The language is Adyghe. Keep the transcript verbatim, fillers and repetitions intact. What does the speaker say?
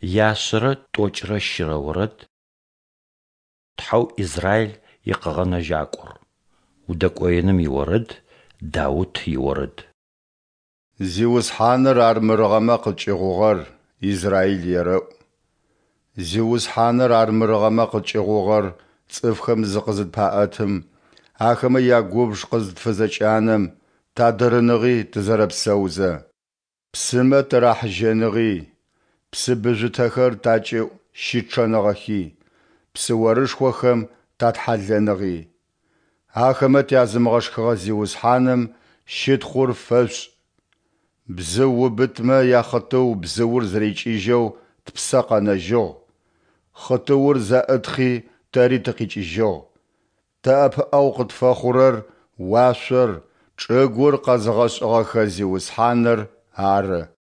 Яшъэрэ тӏокӏрэ щырэ орэд. Тхьэу Израил и Къэгъэнэжьакӏор. Удэкӏоеным иорэд. Даут иорэд. Зиусхьаныр армырыгъэмэ къыткӏыгъугъэр Израил ерэӏу. Зиусхьаныр армырыгъэмэ къыткӏыгъугъэр цӏыфхэм зыкъызытпаӏэтым, ахэмэ ягубж къызытфызэкӏанэм, тадырыныгъи тызэрэпсэузэ. Псымэ тырахьыжьэныгъи, псыбыжъутэхэр такӏыӏу щычъэныгъэхи, псыорышхохэм татхьалэныгъи. Ахэмэ тязымыгъэшхыгъэ Зиусхьаным щытхъур фэшъушӏ! Бзыу убытмэ яхъытыу бзыур зэрикӏыжьэу тпсэ къэнэжьыгъ, хъытыур зэӏытхъи тэри тыкъикӏыжьыгъ. Тэ ӏэпыӏэгъу къытфэхъурэр уашъор, чӏыгур къэзыгъэшӏыгъэхэ Зиусхьаныр ары.